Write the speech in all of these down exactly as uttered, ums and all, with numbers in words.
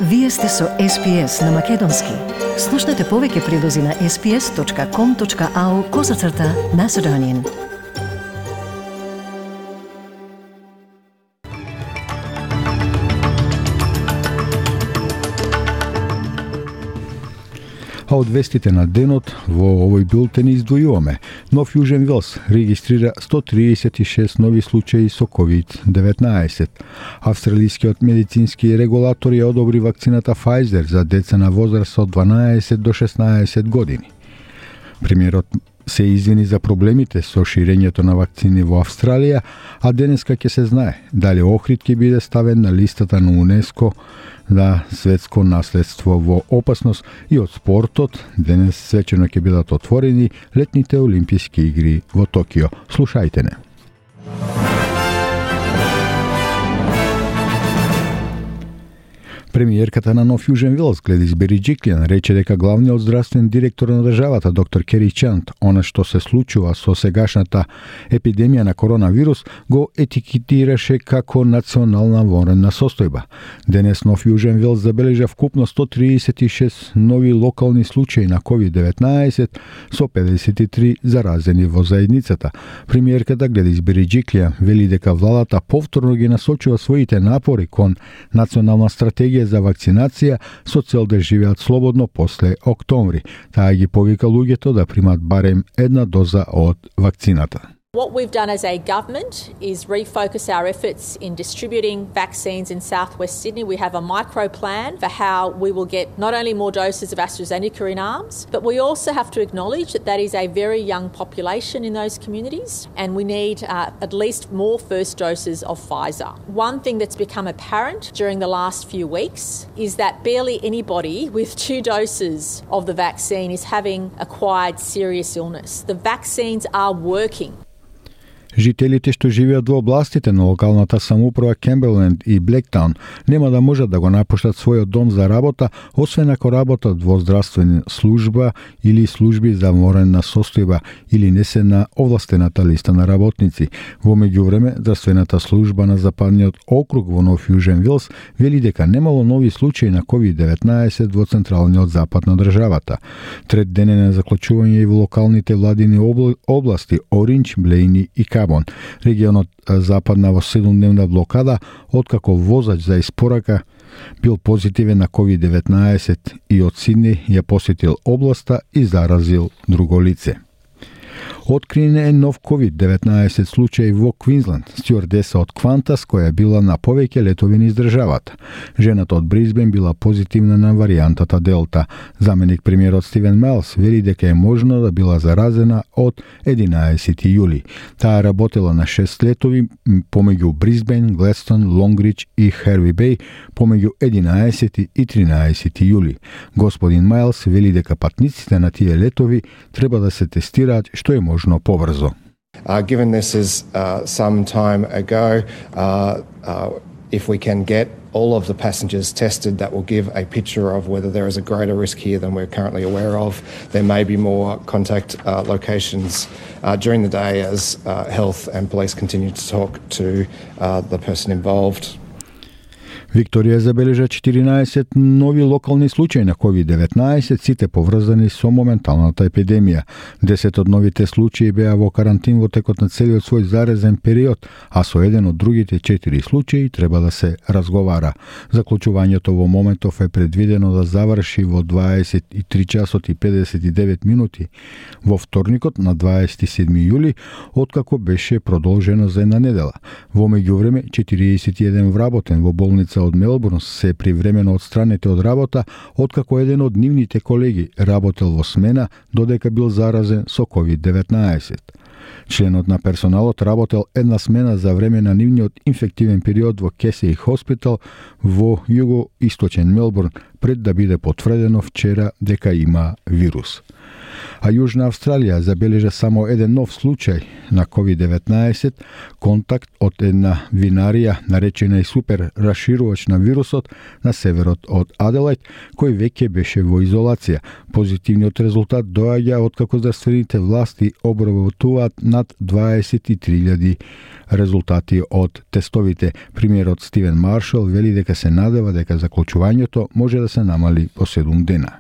Вие сте со Ес Би Ес на Македонски. Слушнете повеќе прилози на ес би ес точка ком точка ау козацрта Macedonian. А од вестите на денот во овој билтен издвојуваме. Нов Јужен Велс регистрира сто триесет и шест нови случаи со ковид деветнаесет. Австралискиот медицински регулатор ја одобри вакцината Pfizer за деца на возраст од дванаесет до шеснаесет години. Премиерот се извини за проблемите со ширењето на вакцини во Австралија, а денеска ќе се знае дали Охрид ќе биде ставен на листата на УНЕСКО на светско наследство во опасност. И од спортот, денес свечено ќе бидат отворени летните олимписки игри во Токио. Слушајте не. Премиерката на Нов Јужен Велс Гледис Бериџиклијан рече дека главниот здравствен директор на државата доктор Кери Чанд она што се случува со сегашната епидемија на коронавирус го етикетираше како национална вонредна состојба. Денес Нов Јужен Велс забележа вкупно сто триесет и шест нови локални случаи на ковид деветнаесет со педесет и три заразени во заедницата. Премиерката Гледис Бериџиклијан вели дека владата повторно ги насочува своите напори кон национална стратегија за вакцинација со цел да живеат слободно после октомври. Таа ги повика луѓето да примат барем една доза од вакцината. What we've done as a government is refocus our efforts in distributing vaccines in southwest Sydney. We have a micro plan for how we will get not only more doses of AstraZeneca in arms, but we also have to acknowledge that that is a very young population in those communities, and we need uh, at least more first doses of Pfizer. One thing that's become apparent during the last few weeks is that barely anybody with two doses of the vaccine is having acquired serious illness. The vaccines are working. Жителите што живеат во областите на локалната самоуправа Кемберленд и Блектаун нема да можат да го напуштат својот дом за работа, освен ако работат во здравствена служба или служби за вонредна состојба или не се на овластената листа на работници. Во меѓувреме, здравствената служба на западниот округ во Нов Јужен Велс вели дека немало нови случаи на ковид деветнаесет во централниот запад на државата. Трет ден е на заклучување и во локалните владини области Оринџ, Блејни и Кабон. Регионот западна во седумдневна блокада, откако возач за испорака бил позитивен на ковид деветнаесет и од Сиднеј ја посетил областа и заразил друго лице. Откриен е нов ковид деветнаесет случај во Квинсленд, стюардеса од Квантас која била на повеќе летови низ државата. Жената од Брисбен била позитивна на варијантата Делта. Заменик премиерот Стивен Майлс вели дека е можно да била заразена од единаесети јули. Таа работела на шест летови помеѓу Брисбен, Гледстон, Лонгридж и Херви Беј помеѓу единаесети и тринаесети јули. Господин Майлс вели дека патниците на тие летови треба да се тестираат што е можно побрзо. Uh, given this is uh, some time ago, uh, uh, if we can get all of the passengers tested, that will give a picture of whether there is a greater risk here than we're currently aware of. There may be more contact uh, locations uh, during the day as uh, health and police continue to talk to uh, the person involved. Викторија забележа четиринаесет нови локални случаи на ковид деветнаесет, сите поврзани со моменталната епидемија. десет од новите случаи беа во карантин во текот на целиот свој заразен период, а со еден од другите четири случаи треба да се разговара. Заклучувањето во моментов е предвидено да заврши во дваесет и три часот и педесет и девет минути во вторникот на дваесет и седми јули, откако беше продолжено за една недела. Во меѓувреме, четириесет и еден вработен во болница од Мелбурн се привремено отстранете од работа, откако еден од нивните колеги работел во смена додека бил заразен со ковид деветнаесет. Членот на персоналот работел една смена за време на нивниот инфективен период во Кесеј Хоспитал во југоисточен Мелбурн пред да биде потврдено вчера дека има вирус. А Јужна Австралија забележа само еден нов случај на ковид деветнаесет, контакт од една винарија наречена и супер раширувач на вирусот на северот од Аделајд, кој веќе беше во изолација. Позитивниот резултат доаѓа откако здравствените власти обработуваат над дваесет и три илјади резултати од тестовите. Премиерот Стивен Маршал вели дека се надева дека заклучувањето може да се намали по седум дена.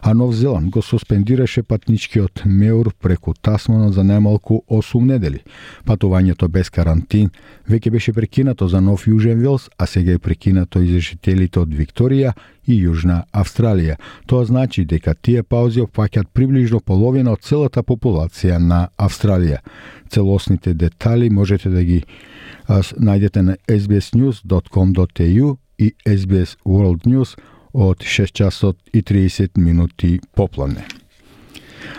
А Нов Зеланд го суспендираше патничкиот меур преку Тасмана за најмалку осум недели. Патувањето без карантин веќе беше прекинато за Нов Јужен Велс, а сега е прекинато и за жителите од Викторија и Јужна Австралија. Тоа значи дека тие паузи опфаќаат приближно половина од целата популација на Австралија. Целосните детали можете да ги најдете на ес би ес ньюс дот ком дот е ю и ес би ес World News од шест часот и триесет минути попладне.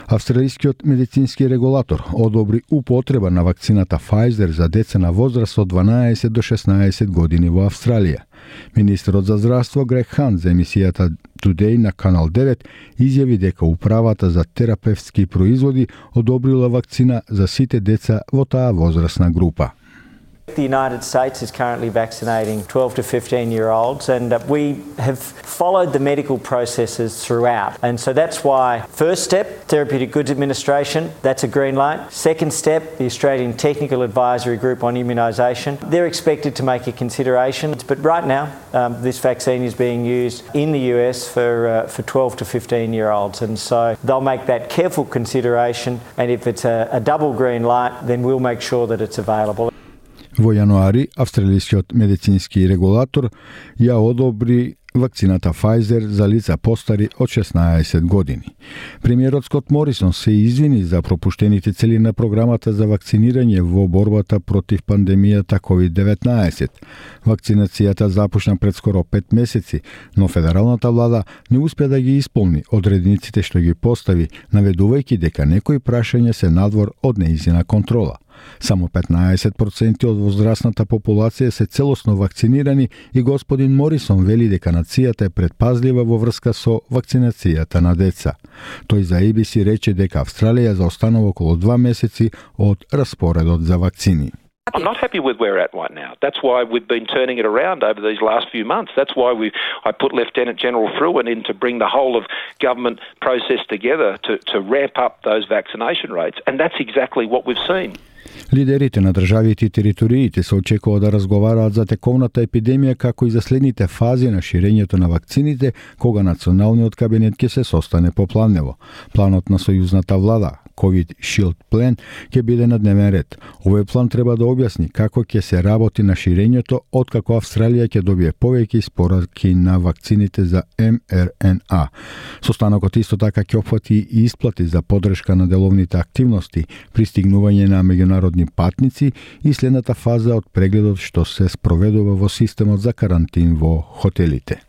Австралискиот медицински регулатор одобри употреба на вакцината Pfizer за деца на возраст од дванаесет до шеснаесет години во Австралија. Министерот за здравство Грег Хант за емисијата Today на Канал девет изјави дека управата за терапевтски производи одобрила вакцина за сите деца во таа возрастна група. The United States is currently vaccinating twelve to fifteen year olds, and uh, we have followed the medical processes throughout. And so that's why first step, Therapeutic Goods Administration, that's a green light. Second step, the Australian Technical Advisory Group on Immunisation, they're expected to make a consideration. But right now, um, this vaccine is being used in the U S for uh, for twelve to fifteen year olds, and so they'll make that careful consideration. And if it's a, a double green light, then we'll make sure that it's available. Во јануари, австралискиот медицински регулатор ја одобри вакцината Pfizer за лица постари од шеснаесет години. Премиерот Скот Морисон се извини за пропуштените цели на програмата за вакцинирање во борбата против пандемијата ковид деветнаесет. Вакцинацијата започна пред скоро пет месеци, но федералната влада не успеа да ги исполни одредниците што ги постави, наведувајќи дека некои прашања се надвор од нејзина контрола. Само петнаесет проценти од возрастната популација се целосно вакцинирани и господин Морисон вели дека нацијата е предпазлива во врска со вакцинацијата на деца. Тој за ей би си рече дека Австралија заостанува околу два месеци од распоредот за вакцини. I'm not happy with where we're at right now. That's why we've been turning it around over these last few months. That's why we I put Lieutenant General Fruin in to bring the whole of government process together to, to ramp up those vaccination rates. And that's exactly what we've seen. Лидерите на државите и териториите се очекува да разговараат за тековната епидемија како и за следните фази на ширењето на вакцините, кога националниот кабинет ќе се состане попланево. Планот на сојузната влада, COVID Shield Plan, ќе биде на дневен ред. Овој план треба да објасни како ќе се работи на ширењето откако Австралија ќе добие повеќе испораки на вакцините за ем ер ен а. Состанокот исто така ќе опфати и исплати за поддршка на деловните активности, пристигнување на меѓународни патници и следната фаза од прегледот што се спроведува во системот за карантин во хотелите.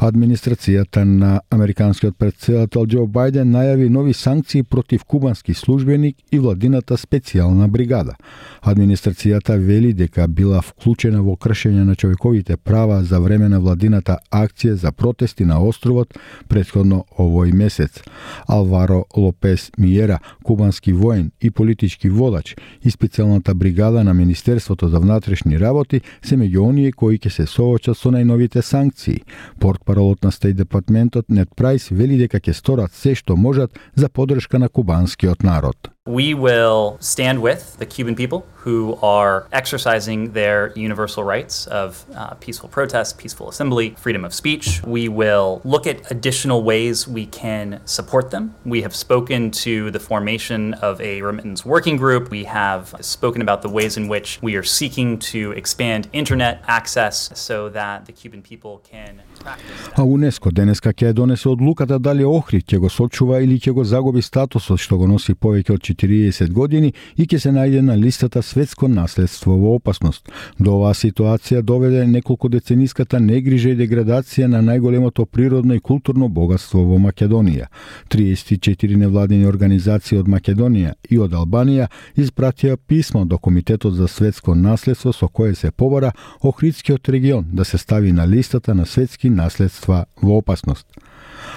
Администрацијата на американскиот претседател Џо Бајден најави нови санкции против кубански службеник и владината специјална бригада. Администрацијата вели дека била вклучена во кршење на човековите права за време на владината акција за протести на островот претходно овој месец. Алваро Лопес Миера, кубански воен и политички водач, и специјалната бригада на Министерството за внатрешни работи се меѓу оние кои ќе се соочат со најновите санкции. Портпаролот на Стејт департментот Нед Прайс вели дека ќе сторат се што можат за поддршка на кубанскиот народ. We will stand with the Cuban people who are exercising their universal rights of uh, peaceful protest, peaceful assembly, freedom of speech. We will look at additional ways we can support them. We have spoken to the formation of a remittance working group. We have spoken about the ways in which we are seeking to expand internet access so that the Cuban people can practice. А УНЕСКО денеска ќе донесе одлуката дали Охрид ќе го сочува или ќе го загуби статусот што го носи повеќе од четириесет години и ќе се најде на листата светско наследство во опасност. До оваа ситуација доведе неколку децениската негрижа и деградација на најголемото природно и културно богатство во Македонија. триесет и четири невладини организации од Македонија и од Албанија испратија писмо до Комитетот за светско наследство со кое се побара Охридскиот регион да се стави на листата на светски наследства во опасност.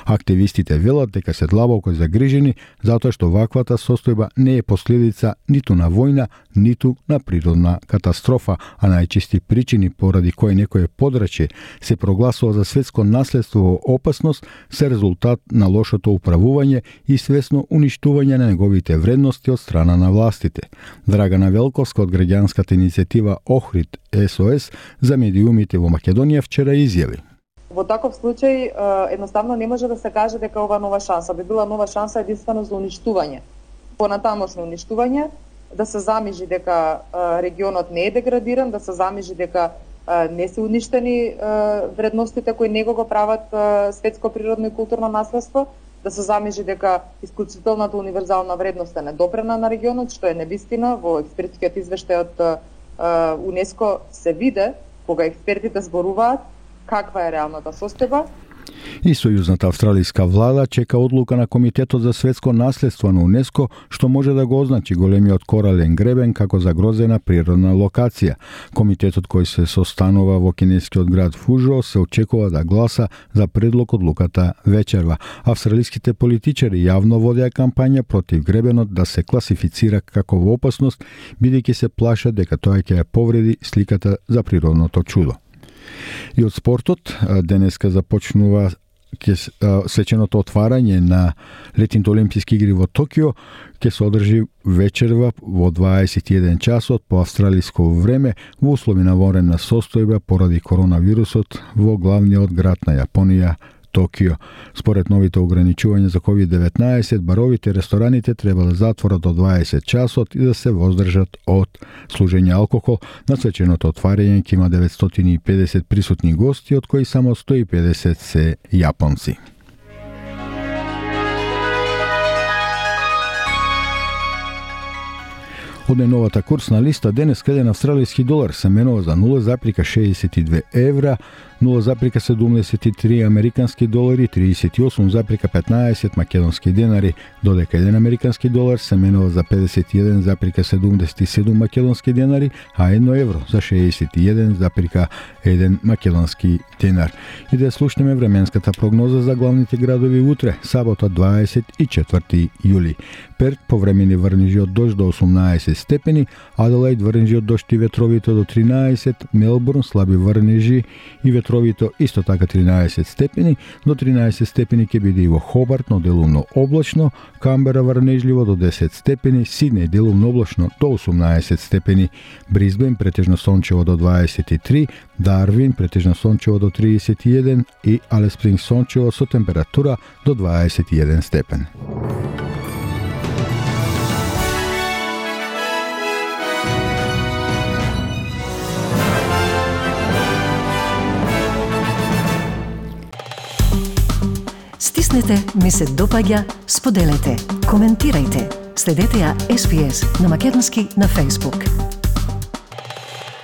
Активистите велат дека се длабоко загрижени затоа што ваквата состојба не е последица ниту на војна, ниту на природна катастрофа, а најчести причини поради кои некое подрачје се прогласува за светско наследство во опасност се резултат на лошото управување и свесно уништување на неговите вредности од страна на властите. Драгана Велковска од граѓанската иницијатива Охрид Ес О Ес за медиумите во Македонија вчера изјави: Во таков случај едноставно не може да се каже дека ова нова шанса би била нова шанса единствено за уништување. Понатамошно уништување, да се замижи дека регионот не е деградиран, да се замижи дека не се уништени вредностите кои него го прават светско природно и културно наследство, да се замижи дека исклучителната универзална вредност е недопрена на регионот, што е невистина. Во експертскиот извештај од УНЕСКО се виде, кога експертите зборуваат, каква е реалната состојба. И сојузната австралиска влада чека одлука на Комитетот за светско наследство на УНЕСКО, што може да го означи големиот корален гребен како загрозена природна локација. Комитетот кој се состанува во кинескиот град Фужо се очекува да гласа за предлог одлуката вечерва. Австралиските политичари јавно водеа кампања против гребенот да се класифицира како во опасност, бидејќи се плашат дека тоа ќе ја повреди сликата за природното чудо. И од спортот, денеска започнува свеченото отварање на летните олимписки игри во Токио, ќе се одржи вечерва во дваесет и еден часот по австралиско време во услови на вонредна состојба поради коронавирусот во главниот град на Јапонија, Токио. Според новите ограничувања за ковид деветнаесет, баровите и рестораните треба да затворат до дваесет часот и да се воздржат од служење алкохол. На свеченото отварање ќе има деветстотини и педесет присутни гости, од кои само сто и педесет се јапонци. Од новата курсна листа денес еден австралиски долар се менува за нула запирка шеесет и две евра, нула запирка седумдесет и три американски долари, триесет и осум запирка петнаесет македонски денари, додека еден американски долар се менува за педесет и еден запирка седумдесет и седум македонски денари, а едно евро за шеесет и еден запирка еден македонски денар. И да слушнеме временската прогноза за главните градови утре, сабота дваесет и четврти јули. Перт повремени врнежи од дожд до осумнаесет степени, Аделаид врнежи од дожд и ветровито до тринаесет, Мелбурн слаби врнежи и ветровито исто така тринаесет степени, до тринаесет степени ќе биде и во Хобарт, но делумно облачно, Камбера врнежливо до десет степени, Сиднеј делумно облачно до осумнаесет степени, Брисбен претежно сончево до дваесет и три, Дарвин претежно сончево до триесет и еден и Алис Спрингс сончево со температура до дваесет и еден степен. Стиснете, ми се допаѓа, споделете, коментирајте. Следете ја Ес Би Ес на македонски на Facebook.